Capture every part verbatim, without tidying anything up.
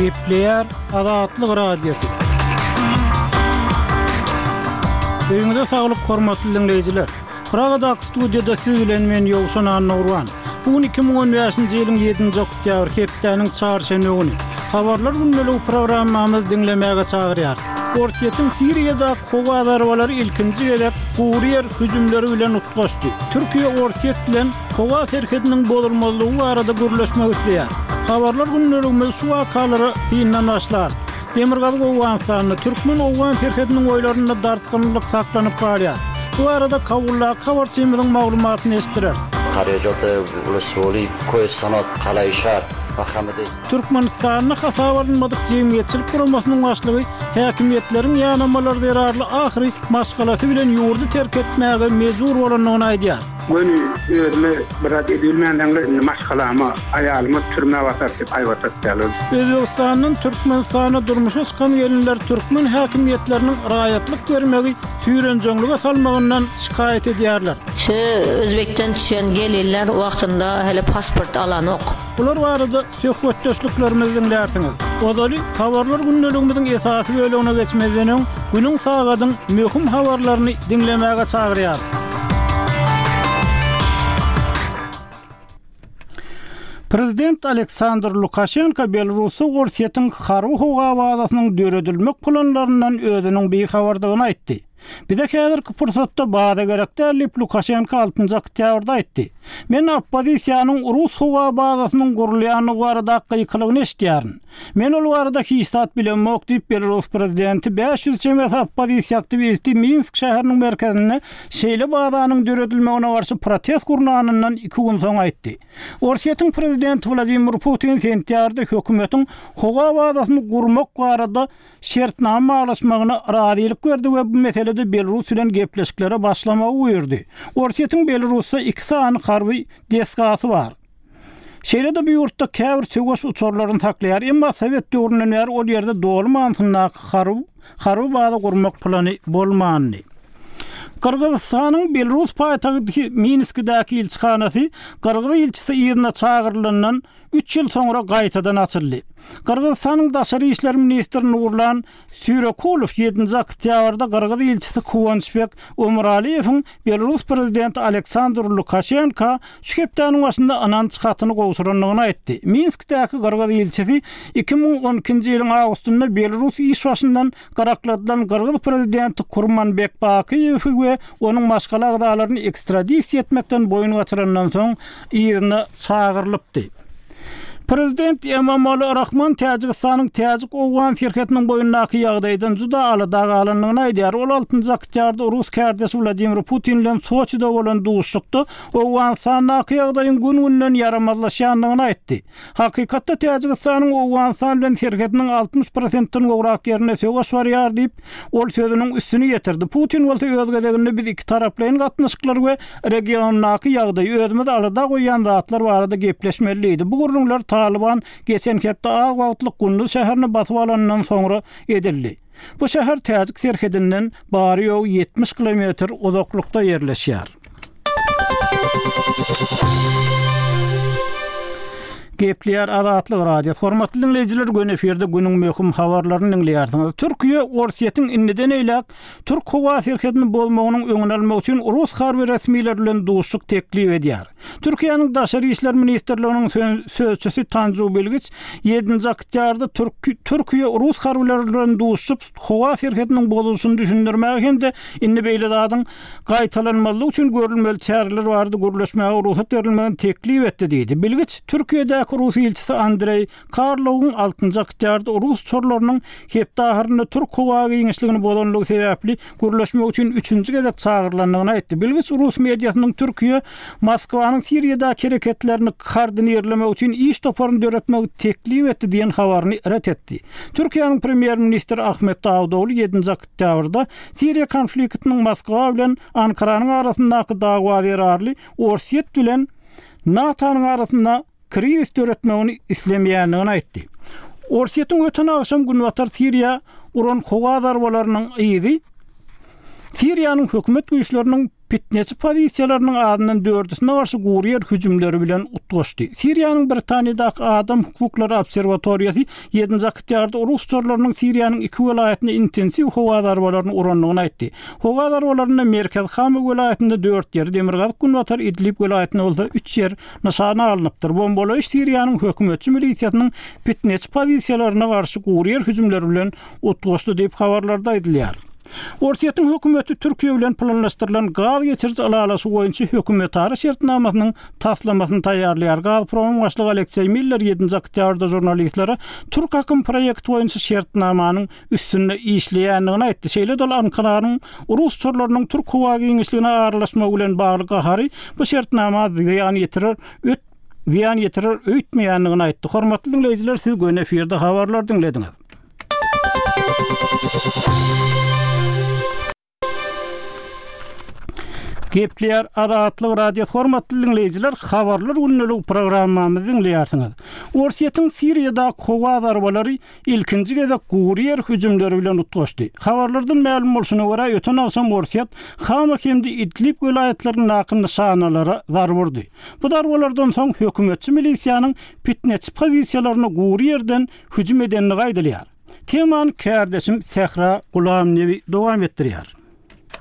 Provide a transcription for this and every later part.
Gepleýär Azatlyk Radiosy. Öýüňize saglyk hormatly dinleýjiler. Pragadaky studiýada siz bilen men Ýowşan Annagurban. Bu gün iki müň on bäşinji ýylyň ýedinji oktýabr hepdäniň çarşenbe güni. Habarlar gündeligi programmamyzy diňlemäge çagyrýar. Orsýetiň Siriýadaky howa zarbalary ilkinji gezek gury ýer hüjümleri bilen utgaşdy. Türkiýe Orsýet bilen howa serhediniň bozulmazlygy barada gürleşmek isleýär. Habarlar gündeligimiz şu wakalara syndan başlar. Demirgazyk Owganystanda türkmen-owgan serhediniň boýlarynda dartgynlylyk saklanyp galýar. Bu barada Kabuldaky habarçymyzyň maglumatyny eşitdireris. Türkmenistanda hasaba alynmadyk jemgyýetçilik guramasynyň başlygy häkimiýetleriň ýanamalary zerarly ahyry maşgalasy bilen ýurdy terk etmäge mejbur bolandygyny aýdýar. Göni özüme biraz edilmändeňler indi maşgalama, aýalyma türmä basar diýip haýbat atýarlar. Özbegistandan Türkmenistana durmuşa çykan gelinler türkmen häkimiýetleriniň raýatlyk bermegi süýrenjeňlige salmagyndan şikaýat edýärler. Şu Özbekden düşen gelinler wagtynda hele pasport alanok. Bular barada söhbetdeşliklerimizi diňlärsiňiz. Ozaly habarlar gündeligimiziň esasy bölegine geçmezden öň günüň sagadyň möhüm habarlaryny diňlemäge çagyrýar. Prezident Aleksandr Lukaşenko Belarusda Orsýetiň harby howa bazasynyň döredilmek planlaryndan özüniň bihabardygyny aýtdy. Bize häzirki pursatda baza gerek däl diýip Lukaşenko altynjy oktýabrda aýtdy. Men oppozisiýanyň rus howa bazasynyň gurulýandygy barada gykylygyny eşitýärin. Men ol barada hiç zat bilemok diýip Belarus prezidenti bäş ýüz çemesi oppozisiýa aktiwisti Minsk şäheriniň merkezinde şeýle bazanyň döredilmegine garşy protest gurnanyndan iki gün soň aýtdy. Orsýetiň prezidenti Wladimir Putin sentýabrda hökümetiň howa bazasyny gurmak barada şertnama baglaşmagyna razylyk berdi we bu meselede Belarus bilen gepleşiklere başlamagy buýurdy. Orsýetiň Belarusda iki sany harby desgasy bar. Şeýle-de bu ýurtda käbir söweş uçarlaryny saklaýar, emma Sowet döwründen bäri ol ýerde doly manysyndaky harby, harby baza gurmak plany bolmandy. Gyrgyzystanyň Belarus paýtagty Minskidäki ilçihanasy Gyrgyz ilçisi yzyna çagyrylandan üç ýyl soňra gaýtadan açyldy. Gyrgyzystanyň daşary işler ministri Nurlan Süýrekulow ýedinji oktýabrda Gyrgyz ilçisi Kuwançbek Omuraliýewiň Belarus prezidenti Aleksandr Lukaşenko şu hepdäniň başynda ynanç hatyny gowşurandygyny aýtdy. Minskdäki Gyrgyz ilçisi iki müň on ikinji ýylyň awgustynda Belarus iş başyndan garakladylan Gyrgyz prezidenti Kurmanbek Bakiýewi we onuň maşgala agzalaryny ekstradisiýa etmekden boýun gaçyrandan soň yzyna çagyrylypdy. Prezident Emomali Rahmon Täjigistanyň Täjik-Owgan serhediniň boýundaky ýagdaýdan juda alada galandygyny aýdýar. Ol altynjy oktýabrda rus kärdeşi Wladimir Putin bilen Soçide bolan duşuşykda Owganystandaky ýagdaýyň gün-günden ýaramazlaşýandygyny aýtdy. Hakykatda Täjigistanyň Owganystan bilen serhediniň altmyş prosentden gowrak ýerinde söweş barýar diýip, ol sözüniň üstüni ýetirdi. Putin bolsa öz gezeginde biz iki taraplaýyn gatnaşyklar we regiondaky ýagdaýy özümiz alada goýýan zatlar barada gepleşmeli diýdi. Bu gürrüňler Taliban geçen hepde az wagtlyk Gunduz şäherini basyp alandan soňra edildi. Bu şäher Täjik serhedinden bary ýogy ýetmiş kilometr uzaklykda ýerleşýär. Gepleýär Azatlyk Radiosy. Hormatly dinleýjiler, gün efirde günüň möhüm habarlaryny dinleýärsiňiz. Türkiýe Orsýetiň indiden eýläk Türk howa serhedini bozmagynyň öňüni almak üçin rus harby resmileri bilen duşuşyk teklip edýär. Türkiýäniň Daşary işler ministrliginiň sözçüsi Tanju Bilgiç ýedinji oktýabrda Türkiýe rus harbylary bilen duşuşyp howa serhediniň bozulyşyny düşündirmäge hem-de indi beýle zadyň gaýtalanmazlygy üçin görülmeli çäreler barada gürleşmäge rugsat berilmegini teklip etdi diýdi. Bilgiç Türkiýedäki rus ilçisi Andrei Karlowyň altynjy oktýabrda rus uçarlarynyň hepde ahyrynda Türk howa giňişligini bozanlygy sebäpli gürleşmek üçin üçünji gezek çagyrylandygyny aýtdy. Bilgiç rus mediasynyň Türkiýe Moskwanyň Siriýadaky hereketlerini koordinirlemek üçin iş toparyny döretmegi teklip etdi diýen habaryny ret etdi. Türkiýäniň premýer-ministri Ahmet Dawudoğlu ýedinji oktýabrda Siriýa konfliktiniň Moskwa bilen Ankaranyň arasyndaky dawa zerarly Orsýet bilen NATO-nyň arasynda krizis döretmegini islemeýändigini aýtdy. Orsýetiň öten agşam Günbatar Siriýa uran howa zarbalarynyň yzy Siriýanyň hökümet güýçleriniň P Pitneçi pozisiýalarynyň azyndan dördüsine garşy gury ýer hüjümleri bilen utgaşdy. Siriýanyň Britaniýadaky Adam hukuklary obserwatoriýasy ýedinji oktýabrda rus uçarlarynyň Siriýanyň iki welaýatynda intensiw howa zarbalaryny urandygyny aýtdy. Howa zarbalarynda Merkez Hama welaýatynda dört ýer, Demirgazyk Günbatar Idlib welaýatynda bolsa üç ýer nyşana alnypdyr. Bombalaýyş Siriýanyň hökümetçi milisiýasynyň pitneçi pozisiýalaryna garşy gury ýer hüjümleri bilen utgaşdy diýip habarlarda aýdylýar. Orsýetiň hökümeti Türkiýe bilen planlaşdyrylan gaz geçiriji ylalaşygy boýunça hökümetara şertnamasynyň taslamasyny taýýarlaýar. Gazpromyň başlygy Alekseý Miller ýedinji oktýabrda žurnalistlere Türk akym proýekti boýunça şertnamanyň üstünde işleýändigini aýtdy. Şeýle-de ol Ankaranyň rus uçarlarynyň türk howa giňişligine aralaşmagy bilen bagly gahary bu şertnama zyýan ýetirer, öt zyýan ýetirer öýtmeýändigini aýtdy. Hormatly diňleýjiler, siz göni efirde habarlar diňlediňiz. Gepleýär Azatlyk Radiosy hormatly diňleýjiler, habarlar gündelik programmamyzy diňleýärsiňiz. Orsýetiň Siriýadaky howa zarbalary ilkinji gezek gury ýer hüjümleri bilen utgaşdy. Habarlardan mälim bolşuna görä, öten agşam Orsýet Hama hem-de Idlib welaýatlaryndaky nyşanalara zarba urdy. Bu zarbalardan soň hökümetçi milisiýanyň pitneçi pozisiýalaryna gury ýerden hüjüm edendigi aýdylýar. Temany kärdeşim Sähra Gulamnewi dowam etdirýär.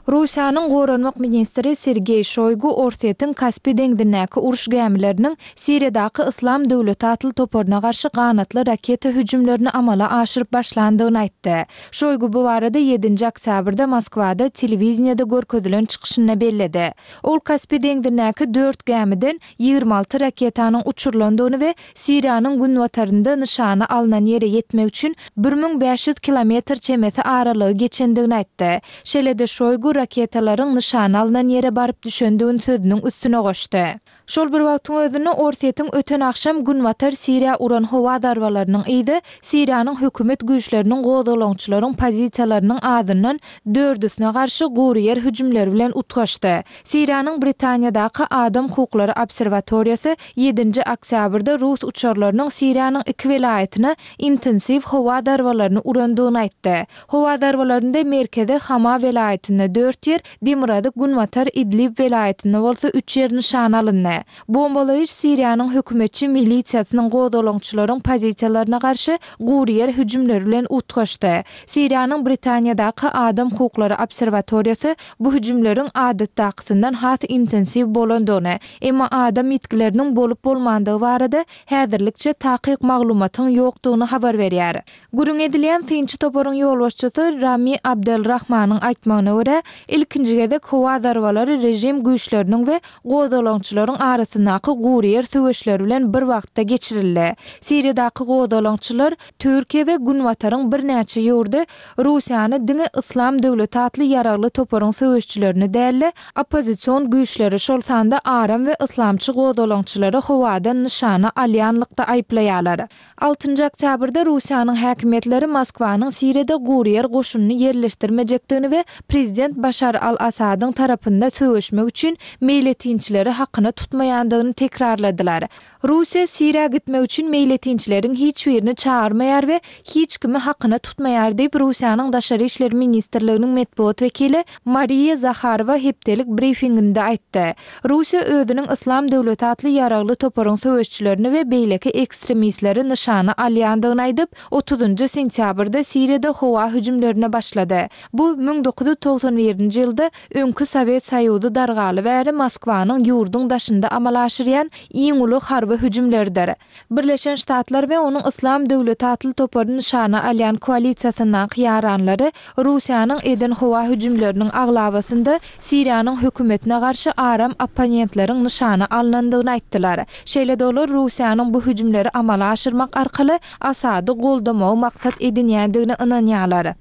Russiýanyň goranmak ministri Sergeý Şoýgu Orsýetiň Kaspi deňzindäki uruş gämileriniň Siriýadaky Yslam döwleti atly toparyna garşy ganatly raketa hüjümlerini amala aşyryp başlandygyny aýtdy. Şoýgu bu barada ýedinji oktýabrda Moskwada telewideniýede görkezilen çykyşynda belledi. Ol Kaspi deňzindäki dört gämiden ýigrimi alty raketanyň uçurylandygyny we Siriýanyň günbatarynda nyşana alnan ýere ýetmek üçin bir müň bäş ýüz kilometr çemesi aralygy geçendigini aýtdy. Şeýle-de Şoýgu raketalaryň nyşana alnan ýere baryp düşendigini sözüniň üstüne goşdy. Şol bir wagtyň özünde Orsýetiň öten agşam Günbatar Siriýa uran howa zarbalarynyň yzy Siriýanyň hökümet güýçleriniň gozgalaňçylaryň pozisiýalarynyň azyndan dördüsine garşy gury ýer hüjümleri bilen utgaşdy. Siriýanyň Britaniýadaky Adam hukuklary obserwatoriýasy ýedinji oktýabrda rus uçarlarynyň Siriýanyň iki welaýatyna intensiw howa zarbalaryny urandygyny aýtdy. Howa zarbalarynda merkezi Hama welaýatynda dört ýer, Demirgazyk Günbatar Idlib welaýatynda bolsa üç ýer nyşana alyndy. Bombalaýyş Siriýanyň hökümetçi milisiýasynyň gozgalaňçylaryň pozisiýalaryna garşy gury ýer hüjümleri bilen utgaşdy. Siriýanyň Britaniýadaky Adam hukuklary obserwatoriýasy bu hüjümleriň adatdakysyndan has intensiw bolandygyny, emma adam ýitgileriniň bolup bolmandygy barada häzirlikçe takyk maglumatyň ýokdugyny habar berýär. Gürrüň edilýän synçy toparyň ýolbaşçysy Rami Abdelrahmanyň aýtmagyna görä, ilkinji gezek howa zarbalary režim güýçleriniň we gozgalaňçylaryň arasyndaky gury ýer söweşleri bilen bir wagtda geçirildi. Siriýadaky gozgalaňçylar Türkiýe we Günbataryň birnäçe ýurdy Russiýany diňe Yslam döwleti atly ýaragly toparyň söweşçilerini däl-de, oppozision güýçleri, şol sanda aram we yslamçy gozgalaňçylary howadan nyşana alýanlykda aýyplaýarlar. Altynjy oktýabrda Russiýanyň häkimiýetleri Moskwanyň Siriýada gury ýer goşunyny ýerleşdirmejekdigini we prezident Başar al-Asadyň tarapynda söweşmek üçin meýletinçileri hakyna tutmaýandygyny tekrarladylar. Russiýa Siriýa gitmek üçin meýletinçileriň hiç birini çagyrmaýar we hiç kimi hakyna tutmaýar diýip, Russiýanyň Daşary işler ministrliginiň metbugat wekili Mariýa Zaharowa hepdelik brifinginde aýtdy. Russiýa özüniň Yslam döwleti atly ýaragly toparyň söweşçilerini we beýleki ekstremistleri nyşana alýandygyny aýdyp, otuzynjy sentýabrda Siriýada howa hüjümlerine başlady. Bu müň dokuz ýüz togsan birinji ýylda öňki Sowet Soýuzy dargaly bäri Moskwanyň ýurduň daşynda amala aşyrýan iň uly harby hüjümleridir. Birleşen Ştatlar we onuň Yslam döwleti atly topary nyşana alýan koalisiýasyndaky ýaranlary Russiýanyň eden howa hüjümleriniň aglabasynda Siriýanyň hökümetine garşy aram opponentleriň nyşana alnandygyny aýtdylar. Şeýle-de olar Russiýanyň bu hüjümleri amala aşyrmak arkaly Asady goldamagy maksat edinýändigine ynanýarlar.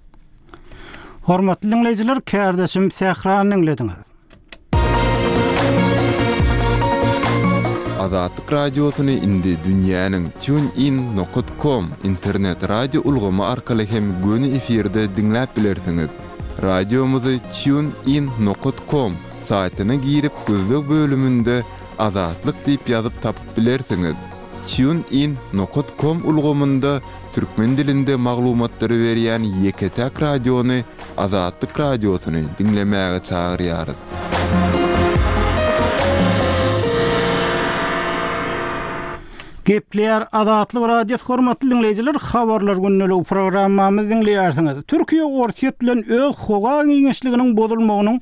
Hormatly diňleýjiler, kärdeşim Sährany diňlediňiz. Azatlyk Radiosyny indi dünýäniň TuneIn nokta com internet radio ulgamy arkaly hem göni efirde diňläp bilersiňiz. Radiomyzy TuneIn nokta com saýtyna girip gözleg bölüminde Azatlyk diýip ýazyp tapyp bilersiňiz. TuneIn nokta com ulgamynda türkmen dilinde maglumatlary berýän ýeke-täk radiony Azatlyk Radiosyny diňlemäge çagyrýarys. Gepleýär Azatlyk Radiosy hormatly diňleýjiler, habarlar gündeligi programmamyzy diňleýärsiňiz. Türkiýe Orsýet bilen öz howa giňişliginiň bozulmagynyň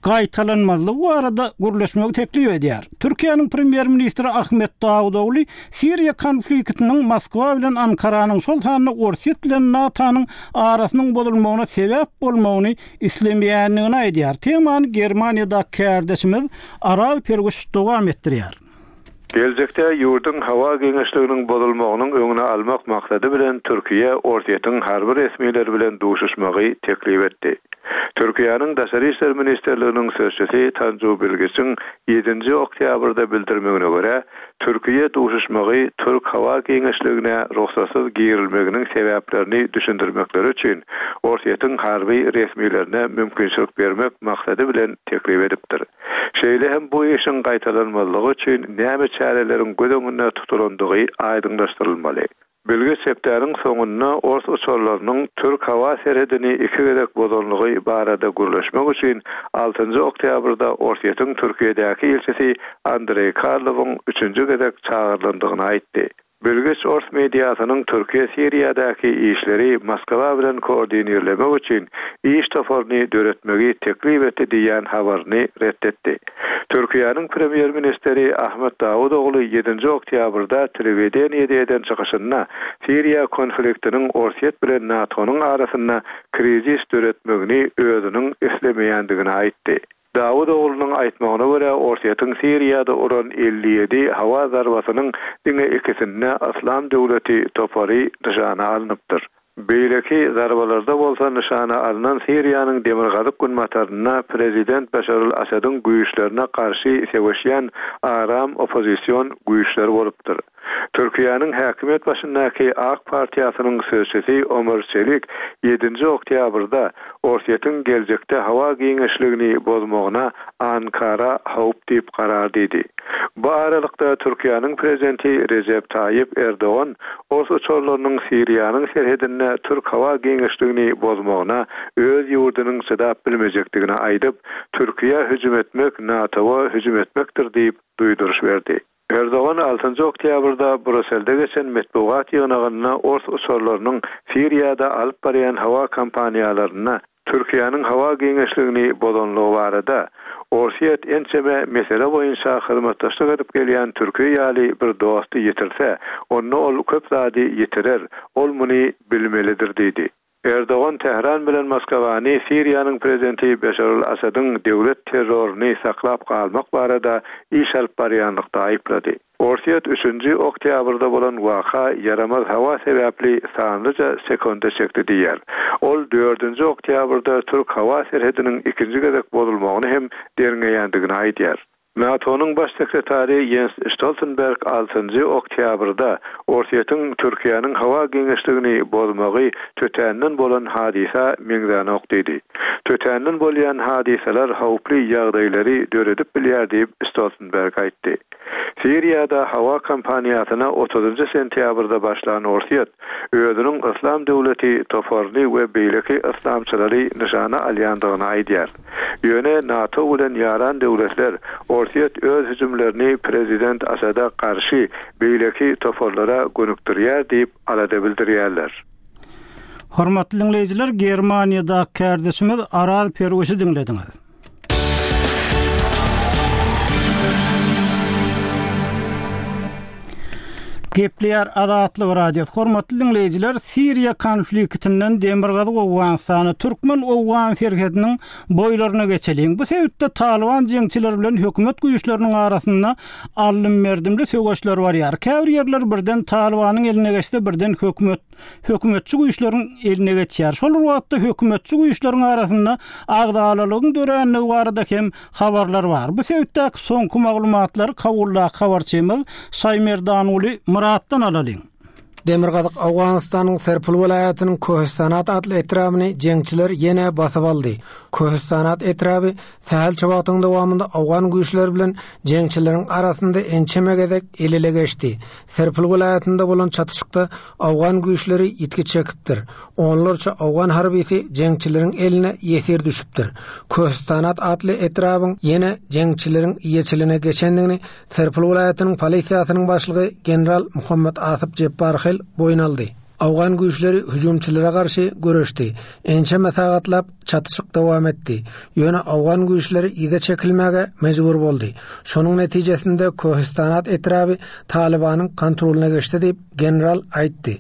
gaýtalanmazlygy barada gürleşmegi teklip edýär. Türkiýäniň premýer-ministri Ahmet Dawutogly Siriýa konfliktiniň Moskwa bilen Ankaranyň, şol sanda Orsýet bilen NATO-nyň arasynyň bozulmagyna sebäp bolmagyny islemeýändigini aýdýar. Temany Germaniýadaky kärdeşimiz Araz Perguş dowam etdirýär. Geljekde ýurduň howa giňişliginiň bozulmagynyň öňüni almak maksady bilen Türkiýe Orsýetiň harby resmileri bilen duşuşmagy teklip etdi. Türkiýäniň Daşary işler ministrliginiň sözçüsi Tanju Bilgiçiň ýedinji oktýabrda bildirmegine görä, Türkiýe duşuşmagy türk howa giňişligine rugsatsyz girilmeginiň sebäplerini düşündirmekleri üçin Orsýetiň harby resmilerine mümkinçilik bermek maksady bilen teklip edipdir. Şeýle hem bu işiň gaýtalanmazlygy üçin näme çäreleriň göz öňünde tutulandygy aýdyňlaşdyrylmaly. Bilgiç hepdäniň soňunda ors uçarlarynyň türk howa serhedini iki gezek bozanlygy barada gürleşmek üçin altynjy oktýabrda Orsýetiň Türkiýedäki ilçisi Andreý Karlowyň üçünji gezek çagyrylandygyny aýtdy. Bilgiç ors mediasynyň Türkiýe Siriýadaky işleri Moskwa bilen koordinirlemek üçin iş toparyny döretmegi teklip etdi diýen habaryny ret etdi. Türkiýäniň premýer-ministri Ahmet Dawutogly ýedinji oktýabrda telewideniýede eden çykyşynda Siriýa konfliktiniň Orsýet bilen NATO-nyň arasynda krizis döretmegini özüniň islemeýändigini aýtdy. Dawutoglunyň aýtmagyna görä Orsýetiň Siriýada uran elli ýedi howa zarbasynyň diňe ikisinde Yslam döwleti topary nyşana alnypdyr. Beýleki zarbalarda bolsa nyşana alnan Siriýanyň demirgazyk günbatarynda prezident Başar al-Asadyň güýçlerine garşy söweşýän aram oppozision güýçler bolupdyr. Türkiýäniň häkimiýet başyndaky AK partiýasynyň sözçüsi Ömer Çelik ýedinji oktýabrda Orsýetiň geljekde howa giňişligini bozmagyna Ankara howp diýip karar diýdi. Bu aralykda Türkiýäniň prezidenti Recep Tayyip Erdogan ors uçarlarynyň Siriýanyň serhedinde türk howa giňişligini bozmagyna öz ýurdunyň çydap bilmejekdigini aýdyp, Türkiýä hüjüm etmek NATO-a hüjüm etmekdir diýip duýduryş berdi. Erdogan altynjy oktýabrda Brüsselde geçen metbugat ýygnagynda ors uçarlarynyň Siriýada alyp barýan howa kompaniýalaryna Türkiýäniň howa giňişligini bozanlygy barada Orsýet ençeme mesele boýunça hyzmatdaşlyk edip gelýän Türkiýe ýaly bir dosty ýitirse, onda ol köp zady ýitirer, ol muny bilmelidir diýdi. Erdogan Tähran bilen Moskwany Siriýanyň prezidenti Beşar al-Asadyň döwlet terroryny saklap galmak barada iş alyp barýanlykda aýyplady. Orsýet üçünji oktýabrda bolan waka ýaramaz howa sebäpli sanlyja sekonda çekdi diýýär. Ol dördünji oktýabrda türk howa serhediniň ikinji gezek bozulmagyny hem derňeýändigini aýdýar. NATO-nyň baş sekretary Jens Stoltenberg altynjy oktýabrda Orsýetiň Türkiýäniň howa giňişligini bozmagy tötänden bolan hadysa meňzänok diýdi. Tötänden bolýan hadysalar howply ýagdaýlary döredip bilýär diýip Stoltenberg aýtdy. Siriýada howa kompaniýasyna otuzynjy sentýabrda başlan Orsýet özüniň Yslam döwleti toparyny we beýleki yslamçylary nyşana alýandygyny aýdýar. Ýöne NATO bilen ýaran döwletler Orsýet öz hüjümlerini prezident Asada garşy beýleki toparlara gönükdirýär diýip alada bildirýärler. Hormatly diňleýjiler, Germaniýada kärdeşimiz Araz Perwişi diňlediňiz. Gepleýär Azatlyk Radiosy. Hormatly diňleýjiler, Siriýa konfliktinden Demirgazyk Owganystana, Türkmen-Owgan serhediniň boýlaryna geçeliň. Bu sebitde Taliban jeňçileri bilen hökümet güýçleriniň arasynda alym-merdimli söweşler barýar. Käbir ýerler birden Talibanyň eline geçse, birden hökümet, hökümetçi güýçleriň eline geçýär. Şol bir wagtda hökümetçi güýçleriň arasynda agzalalygyň döränligi barada hem habarlar bar. Bu sebitdäki soňky maglumatlary Kabuldaky habarçymyz Şaýmerdanuly Muratdan alalyň. Köhüstanat etraby sähelçe wagtyň dowamynda owgan güýçleri bilen jeňçileriň arasynda ençeme gezek el-ele geçdi. Serpil welaýatynda bolan çatyşykda owgan güýçleri ýitgi çekipdir. Onlarça owgan harbisi jeňçileriň eline ýesir düşüpdir. Köhüstanat atly etrabyň ýene jeňçileriň eýeçiligine geçendigini Serpil welaýatynyň polisiýasynyň başlygy general Muhammed Asyp Jepbarhel boýun aldy. Owgan güýçleri hüjümçilere garşy göreşdi. Ençeme sagatlap çatyşyk dowam etdi. Ýöne owgan güýçleri yza çekilmäge mejbur boldy. Şonuň netijesinde Köhüstanat etraby Talibanyň kontrolyna geçdi diýip general aýtdy.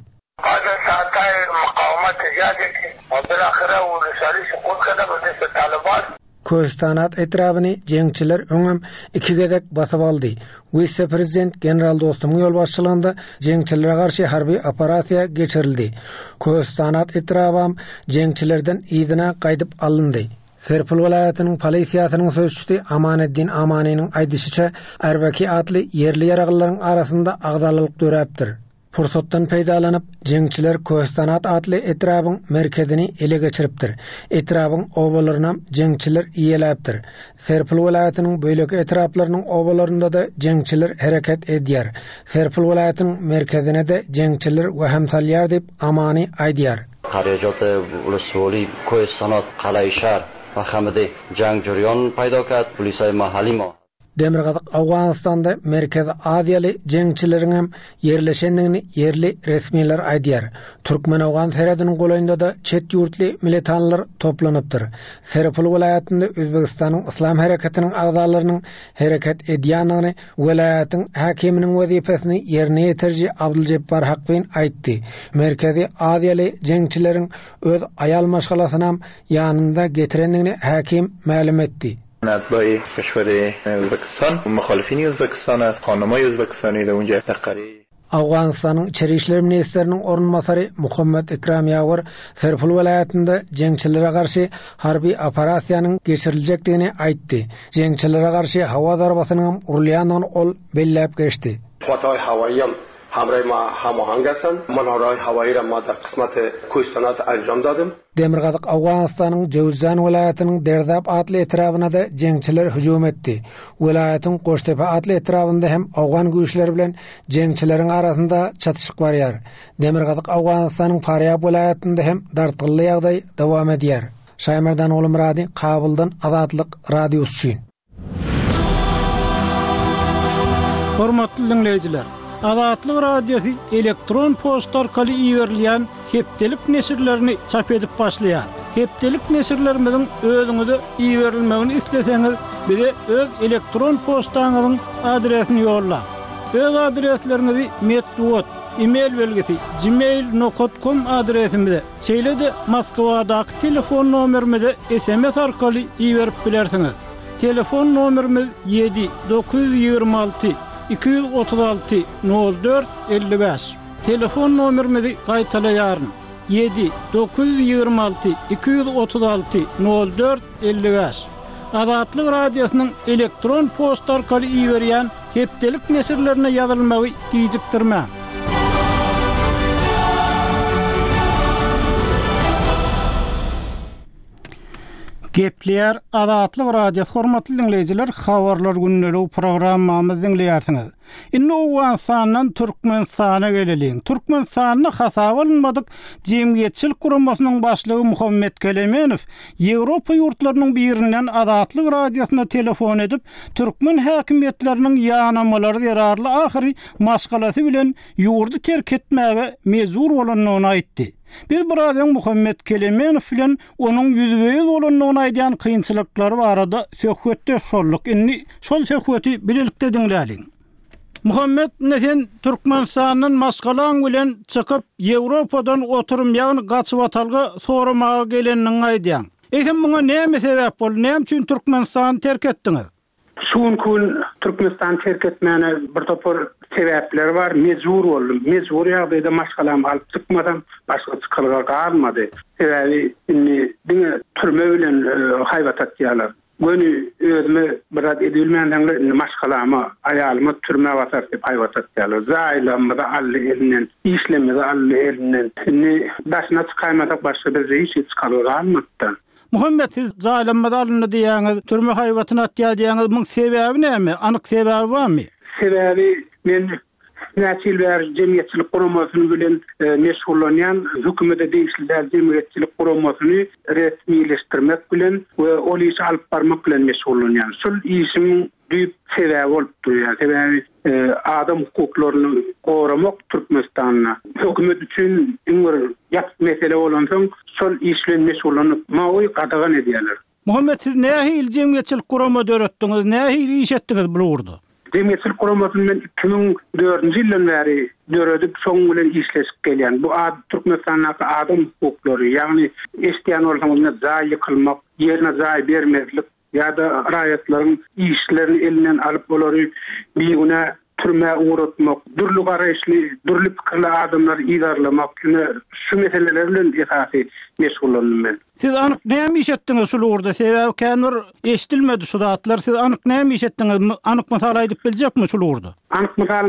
Köhüstanat etrabyny jeňçiler öňem iki gezek basyp aldy. Wise-prezident general Dostumyň ýolbaşçylygynda jeňçilere garşy harby operasiýa geçirildi. Köhüstanat etrabam jeňçilerden yzyna gaýdyp alyndy. Serpil welaýatynyň polisiýasynyň sözçüsi Amaneddin Amanynyň aýdyşyça, Erbeki atly ýerli ýaraglylaryň arasynda agzalyk döräpdir. Pursatdan peýdalanyp, jeňçiler Köhüstanat atly etrabyň merkezini ele geçiripdir. Etrabyň obalaryna jeňçiler iýeläpdir. Serpil welaýatynyň bölek etraplarynyň obalarynda da jeňçiler hereket edýär. Serpil welaýatynyň merkezine de jeňçiler wehim salýar diýip Amany aýdýar. Qaryajot ulusvoli Köhüstanat Qalaýşar we hamide jang joriyon paydo kat polisay mahalli ma Demirgazyk Owganystanda Merkezi Aziýaly jeňçileriň hem ýerleşendigini ýerli resmiler aýdýar. Türkmen-Owgan serhediniň golaýynda da çet ýurtly militanlar toplanypdyr. Serpil welaýatynda Özbegistanyň Yslam hereketiniň agzalarynyň hereket edýändigini welaýatyň häkiminiň wezipesini ýerine ýetiriji Abduljebbar Hakbin aýtdy. Merkezi Aziýaly jeňçileriň öz aýal maşgalasyny ýanynda getirendigini häkim mälim etdi. اتباع کشور Özbekistan مخالفین Özbekistan است خانمای Özbekistani در اونجا تقریبا Owganystanyň Içeri işler ministriniň orunbasary Muhammed Ikram Ýawar Serpil welaýatynda jeňçilere garşy harby operasiýanyň geçiriljekdigini aýtdy. Jeňçilere garşy hawa zarbasynyň urulýandygyny ol belläp geçdi. قوت‌های هوایی هم همراه ما هماهنگ هستند. منارهای هوایی را ما در قسمت کوهستانات انجام دادیم. Demirgazyk Owganystanyň Jowzjan welaýatynyň Derdap atly etrabyna da jeňçiler hüjüm etdi. Welaýatyň Goştepe atly etrabynda hem owgan güýçleri bilen jeňçileriň arasynda çatyşyk barýar. Demirgazyk Owganystanyň Farýab welaýatynda hem dartgynly ýagdaý dowam edýär. Şaýmerdan Oglumyrady, Kabuldan Azatlyk Radiosy üçin. Hormatly dinleýjiler, Azatlyk Radiosy elektron poçta arkaly iberilýän hepdelik neşirlerini çap edip başlaýar. Hepdelik neşirlerimiziň özüňize iberilmegini isleseňiz, bize öz elektron poçtaňyzyň adresini ýollaň. Öz adresleriňizi metbugat, e-mail belgisi gmail nokta com adresimize, şeýle-de Moskwadaky telefon nomerimize S M S arkaly iberip bilersiňiz. Telefon nomerimiz ýedi dokuz ýüz ýigrimi alty iki ýüz otuz alty nol dört elli bäş. Telefon nomerimizi gaýtalaýaryn. Ýedi dokuz ýüz ýigrimi alty iki ýüz otuz alty nol dört elli bäş. Azatlyk Radiosynyň elektron poçta arkaly iberýän hepdelik neşirlerine ýazylmagy gijikdirmäň. Gepleýär Azatlyk Radiosy hormatly dinleýjiler, habarlar günleri programmamyzy dinleýärsiňiz. Indi Owganystandan Türkmenistana geleliň. Türkmenistanda hasaba alynmadyk jemgyýetçilik guramasynyň başlygy Muhammed Kelemenow Ýewropa ýurtlarynyň birinden Azatlyk Radiosyna telefon edip, türkmen häkimiýetleriniň ýanamalary zerarly ahyry maşgalasy bilen ýurdy terk etmäge mejbur bolandygyny aýtdy. Biz biraz öň Muhammed Kelemenow bilen onuň ýüzbe-ýüz bolandygyny aýdýan kynçylyklary barada söhbetdeş bolduk. Indi şol söhbeti birlikde diňläliň. Muhammed, ne sen Türkmenistandan maşgalaň bilen çykyp Ýewropadan oturum ýagny gaçyp atalga soramaga geleniniň aýdýan. Eýsem muňa näme sebäp boldy? Näme üçin Türkmenistany terk etdiňiz? Şu gün Türkmenistan terk etmäne bir topar sebäpler bar. Mejbur boldum. Mejbur ýagdaýda maşgalam alyp çykmasam başga çykalga galmady. Sebäbi indi diňe türme bilen, e, haýbat atýarlar. Göni özüme biraz edilmändeňler indi maşgalama, aýalyma türme basar diýip haýbat atýarlar. Zaýlamyzy aldy elinden, işlemizi aldy elinden. Indi daşyna çykaýmasak başga bir iş çykalga galmady. Muhammet siz jaýlanma alyndy diýýäňiz, türme haýbatyny atýar diýýäňiz, muň sebäbi näme? Anyk sebäbi barmy? Sebäbi men näçe ýyl bäri jemgyýetçilik guramasyny bilen meşgullanýan, hökümete degişli däl jemgyýetçilik guramasyny resmileşdirmek bilen we ol işi alyp barmak bilen meşgullanýan. Şol işiň düýp sebäbi bolup durýar. Sebäbi adam hukuklaryny goramak Türkmenistanda hökümet üçin iň bir ýapyk mesele bolansoň, şol iş bilen meşgullanyp, mawy gadagan edýärler. Muhammet siz nähili jemgyýetçilik gurama döretdiňiz, nähili iş etdiňiz bu ugurda? Jemgyýetçilik guramasyny men iki müň dördünji ýyldan bäri döredip, şoň bilen işleşip gelýän. Bu ad Türkmenistandaky adam hukuklary, ýagny eşitýän bolsaňyz jaý ýykylmak, ýerine jaý bermezlik ýa-da raýatlaryň işlerini elinden alyp olary bigünä türmä ugratmak, dürli garaýyşly, dürli pikirli adamlary yzarlamak, ine şu meseleler bilen esasy meşgullandym men. Siz anyk näme iş etdiňiz şu ugurda? Sebäbi kän bir eşitilmedi şu zatlar. Siz anyk näme iş etdiňiz? Anyk mysal aýdyp biljekmi şu ugurda? Anyk mysal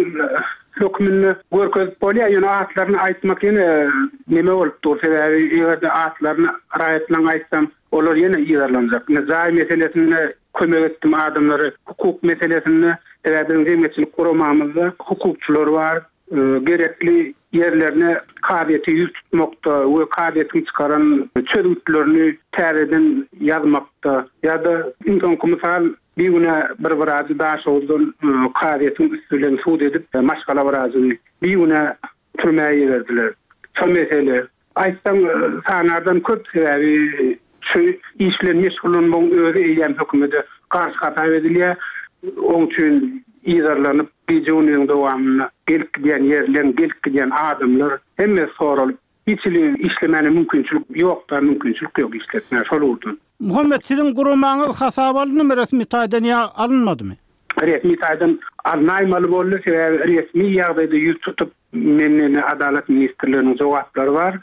hökmünde görkezip bolýar, ýöne atlaryny aýtmak ýene neme bolup dur. Sebäbi eger-de atlaryny raýatlaryň aýtsam, olar ýene yzarlanjak. Ine jaý meselesinde kömek etdim adamlary, hukuk meselesinde, sebäbi biziň jemgyýetçilik guramamyzda hukukçylar bar, gerekli ýerlerine kazyýete ýüz tutmakda we kazyýetiň çykaran çözgütlerini täzeden ýazmakda ýa-da iň soňky mysal bir güne bir wrajy Daşoguzdan kazyýetiň üstü bilen sud edip maşgala wrajyny bir güne türmä iberdiler. Şo mesele aýtsaň sanardan köp sebäbi şu iş bilen meşgullanmagyň özi eýýäm hökümete garşy hasap edilýär. Oň üçin yzarlanyp gije günüň dowamynda gelip gidýän ýerleň, gelip gidýän adamlar hemme soralyp, hiç hili işlemäne mümkinçilik ýok da, mümkinçilik ýok işletmäge şol ugurdan. Muhammet siziň guramaňyz hasap alyndymy resmi taýdan ýa alynmadymy? Resmi taýdan alynmaly boldy, sebäbi resmi ýagdaýda ýüz tutup menden Adalat ministrliginiň jogaplary bar.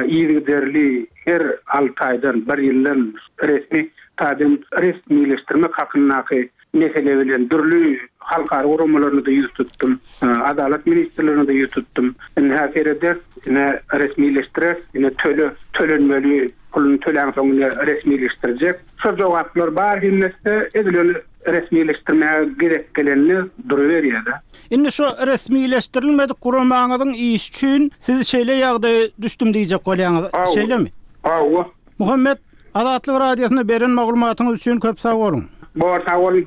Yzygiderli her alty aýdan bir ýyldan resmi taýdan resmileşdirmek hakyndaky mesele bilen dürli halkara guramalaryna da ýüz tutdum. Adalat ministrligine de ýüz tutdum. Ine sereder, ine resmileşdirer, ine töle tölenmeli puluny tölän soň ine resmileşdirjek. Şo jogaplar bar hemmesi edilen resmileşdirmäge gerek gelenini duruberýär. Indi şu resmileşdirilmedik guramaňyzyň iş üçin siz şeýle ýagdaýa düşdüm diýjek bolýaňyz, şeýlemi? Hawa. Muhammet Azatlyk Radiosyna beren maglumatyňyz üçin köp sag boluň. Bor, sag boluň.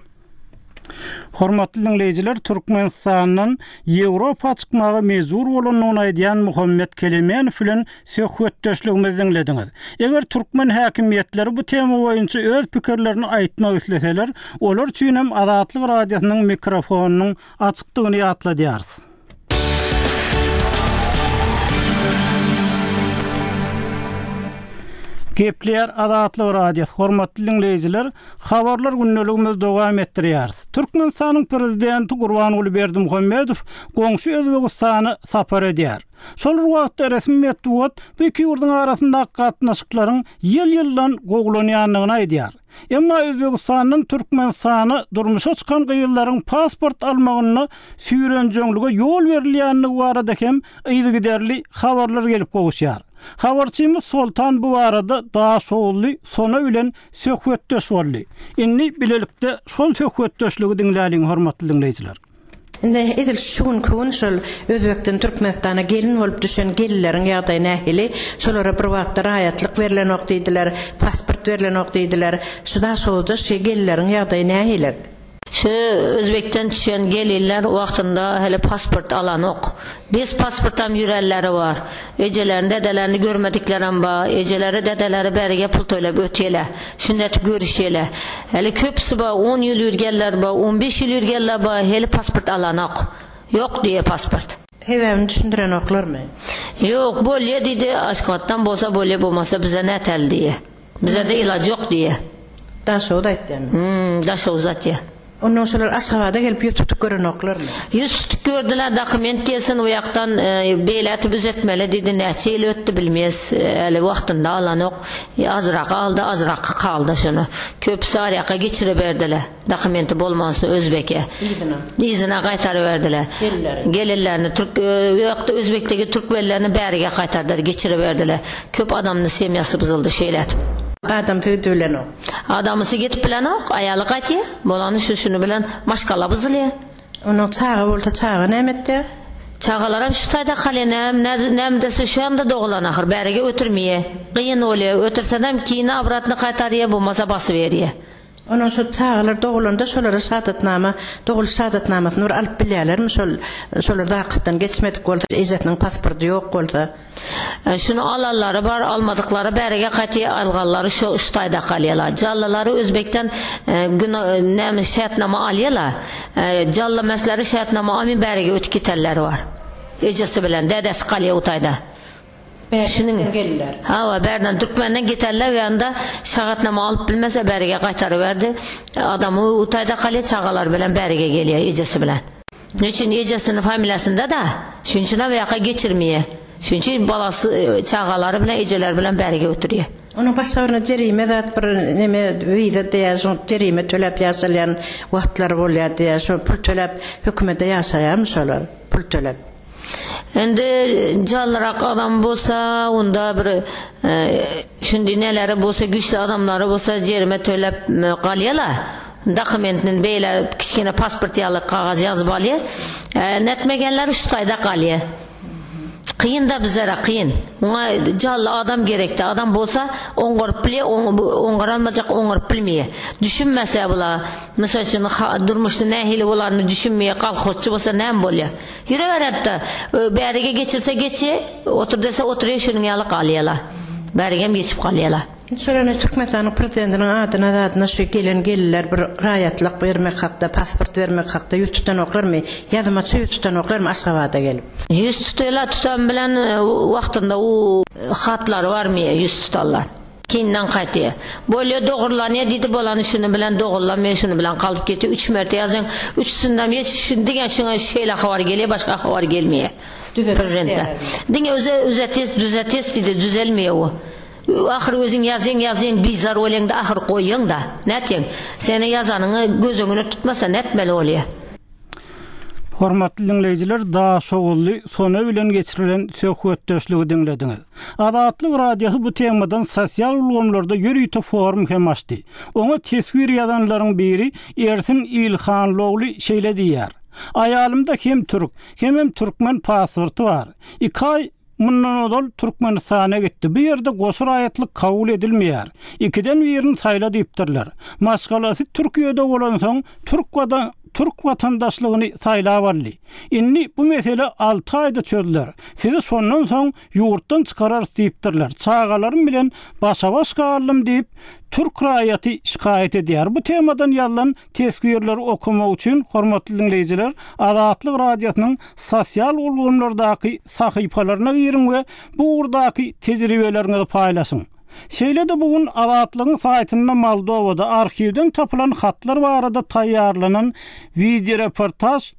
Hormatly dinleýjiler, Türkmenistandan Ýewropa çykmaga mejbur bolandygyny aýdýan Muhammet Kelemenow bilen söhbetdeşligimizi diňlediňiz. Eger türkmen häkimiýetleri bu tema boýunça öz pikirlerini aýtmak isleseler, olar üçin hem Azatlyk Radiosynyň mikrofonynyň açykdygyny ýatladýarys. Gepler Azatlyk Radiosy hormatly dinleýjiler, habarlar gündeligimizi dowam etdirýäris. Türkmenistanyň prezidenti Gurbanguly Berdimuhamedow goňşy Özbegistana sapar edýär. Şol wagtda resmi metbugat bu iki ýurduň arasyndaky gatnaşyklaryň ýyl-ýyldan gowulanýandygyny aýdýar. Emma Özbegistandan Türkmenistana durmuşa çykan gyzlaryň pasport almagyna süýrenjeňlige ýol berilýändigi barada hem yzygiderli habarlar gelip gowuşýar. Habarçymyz Soltan bu arada Daşoguzly Sona bilen söhbetdeş boldy. Indi bilelikde şol söhbetdeşligi diňläliň hormatly dinleýjiler. Indi edil şu günki gün şol Özbekden Türkmenistana gelin bolup düşen gelinleriň ýagdaýy nähili? Şolara bir wagtda raýatlyk berlenok diýdiler, pasport berlenok diýdiler. Şu Daşoguzda şu gelinleriň ýagdaýy nähili? Şu Özbekden düşen gelinler wagtynda hele pasport alanok. Biz pasportam ýürelleri bar. Ejelerini, dedelerini görmediklerim bar. Ejeleri, dedeleri beriге pul töläp ötýele. Şünnet görüşýele. Hele köpüsi bar, on ýyl ýürgenler bar, on beş ýyl ýürgenler bar, hele pasport alanok. Ýok diýe pasport. Sebäbini düşündirenoklarmy? Ýok, bolýa diýdi, Aşgabatdan bolsa bolýa, bolmasa bize nätel diýe. Bize de ilaç ýok diýe. Daşoguz aýtýan. Hmm, Daşoguz aýtýa. Ondan şolar Aşgabada gelip ýüz tutup görenoklarmy? Ýüz tutup gördüler, dokument gelsin o ýakdan, beýläti düzetmeli diýdi, näçe ýyl ötdi bilmez, äli wagtynda alanok. Azrak aldy, azrak kaldy şunu. Köpüsi arýaka geçire berdiler. Dokumenti bolmansa Özbeke. Yzyna. Yzyna gaýtaryp berdiler. Gelinleri. Gelinlerini Türk, ýokda Özbekdeki türkmenlerini bärige gaýtardylar, geçire berdiler. Köp adamның semyası buzuldy şeýle. Adamsy gidip bilenok. Adamsy gidip bilenok, aýaly gaýtýar. Bolany şu şuny bilen maşgala buzulýar. Onuň çaga bolsa çaga näme etýär? Çagalaram şu taýda galýar, näme näme dese şu ýanda dogulan ahyr, bärige ötürmeýär. Gyn bolýar, ötürsenem keyin obratno gaýtarýar, bolmasa basyp berýär. Onuň şu çagalar dogulanda şolara şahadatnama, doguluş şahadatnamasyny bir alyp bilýärlermi şol şolar zakysdan geçmedik bolsa, ejesiniň pasporty ýok bolsa. Şuny alanlary bar, almadyklary bärige gaýtýar, alganlary şu şu taýda galýarlar. Jallylary Özbekden näme şertnama alýarlar. Jally mesleri şertnama almay bärige ötüp gitenleri bar. Ejesi bilen dädesi galýar o taýda. Şunuň gelirler. Hawa, bärden Türkmenden gitenler ýanda şahatnama alyp bilmese bärige gaýtaryp berdi. Adamy o taýda galýar, çagalar bilen bärige gelýär ejesi bilen. Niçin ejesinin familiýasynda da, şunuň üçin ýaka geçirmeýär. Şunuň üçin balasy çagalary bilen ejeler bilen bärige oturýar. Onuň başga bir jerime zat bir neme wiza diýär, şo jerime töläp ýaşalýan wagtlary bolýar diýär, şo pul töläp hökümete ýaşaýarmy şolar, pul töläp. Endi jallyrak adam bolsa, onda bir şundi neleri bolsa, güçlü adamlary bolsa jerime töläp galýarlar. Dokumentini beýle kiçkene pasport ýaly kagaz ýazyp alýar. Netmegenler şu taýda galýar. Kıyın da bizlere kıyın. Ona canlı adam gerekti. Adam bolsa oňaryp bilýär, oňaranmajak oňaryp bilmeýär. Düşünmese bula, mysal üçin durmuşda nähili bolanny düşünmeýär, kolhozçy bolsa näme bolýar? Ýüreberetdi. Bärige geçirse geçe, otur dese oturýar, şunuň ýaly galýarlar. Bärigem geçip galýarlar. Şolara Türkmenistanyň prezidentiniň adyna adyna şu gelen gelirler bir raýatlyk bermek hakda, pasport bermek hakda ýüz tutanoklarmy? Ýazmaça ýüz tutanoklarmy Aşgabada gelip? Ýüz tutýarlar, tutan bilen wagtynda o hatlary barmy ýüz tutarlar. Kinden gaýtýar. Bolýar dogrulanýar diýdi, bolany şuny bilen dogrulanmaýar, şuny bilen galyp ketdi. Üç merte ýazan, üçüsinden ýeç şuny diýen şuňa şeýle habar gelýär, başga habar gelmeýär. Prezidentde. Diňe öze üzetes, düzetes diýdi, düzelmeýär o. Ahyr özüň ýazýaň, ýazýaň, bizar bolýaň da ahyr goýýaň da. Nätýäň? Seni ýazanyňy göz öňüne tutmasa nätmeli bolýar? Hormatly dinleýjiler, Daşoguzly Sona bilen geçirilen söhbetdeşligi diňlediňiz. Azatlyk Radiosy bu temadan sosial ulgamlarda ýörite forum hem açdy. Oňa teswir ýazanlaryň biri Ersin Ilhanlogly şeýle diýýär. Aýalymda hem türk, hem türkmen pasporty bar. Iki aý mundan ozal Türkmenistana gitdi. Bu ýerde goşa raýatlyk kabul edilmeýär. Ikiden birini saýla diýipdirler. Maşgalasy Türkiýede bolansoň Türk watan Türk watandaşlygyny saýlap aldy. Indi bu mesele alty aýda çözüler. Sizi şondan soň ýurtdan çykararys diýipdirler. Çagalarym bilen başa-baş galdym diýip Türk raýaty şikaýat edýär. Bu temadan ýazylan teswirleri okumak üçin hormatly dinleýjiler Azatlyk Radiosynyň sosial ulgamlardaky sahypalaryna giriň we bu ugurdaky tejribeleriňizi paýlaşyň. Şeýle-de bugün Azatlygyň saýtynda Moldowada arhiwden tapylan hatlar barada taýýarlanan video reportaj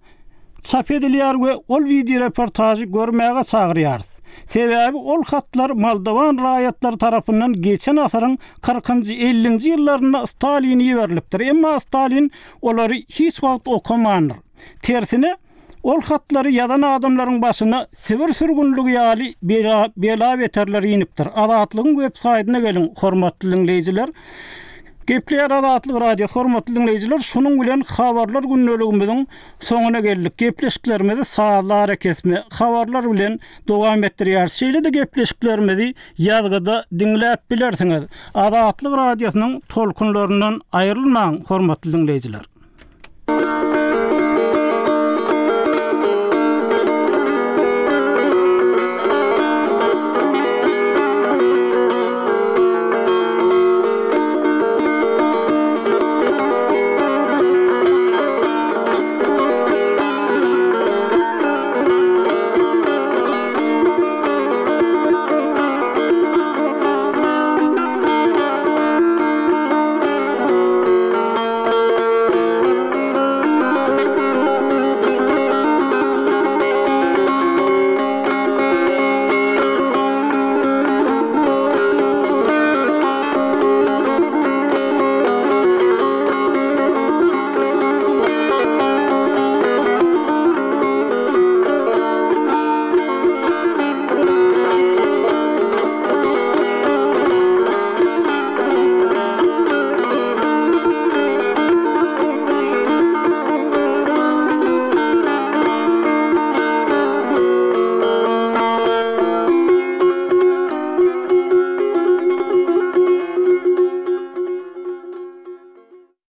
çap edilýär we ol video reportajy görmäge çagyrýarys. Sebäbi ol hatlar Moldowan raýatlary tarapyndan geçen asyryň kyrkynjy ellinji ýyllarynda Stalin iberilipdir. Emma Stalin olary hiç wagt okamandyr. Tersine ol hatlary ýazan adamlaryň başyna Sibir sürgünligi ýaly bela, bela beterler inipdir. Azatlygyň web saýtyna geliň hormatly dinleýjiler. Gepleýär Azatlyk Radiosy hormatly dinleýjiler, şunuň bilen habarlar gündeligimiziň soňuna geldik. Gepleşiklerimizi sazly arakesme habarlar bilen dowam etdirýär. Şeýle-de gepleşiklerimizi ýazgyda diňläp bilersiňiz. Azatlyk Radiosynyň tolkunlaryndan aýrylmaň hormatly dinleýjiler.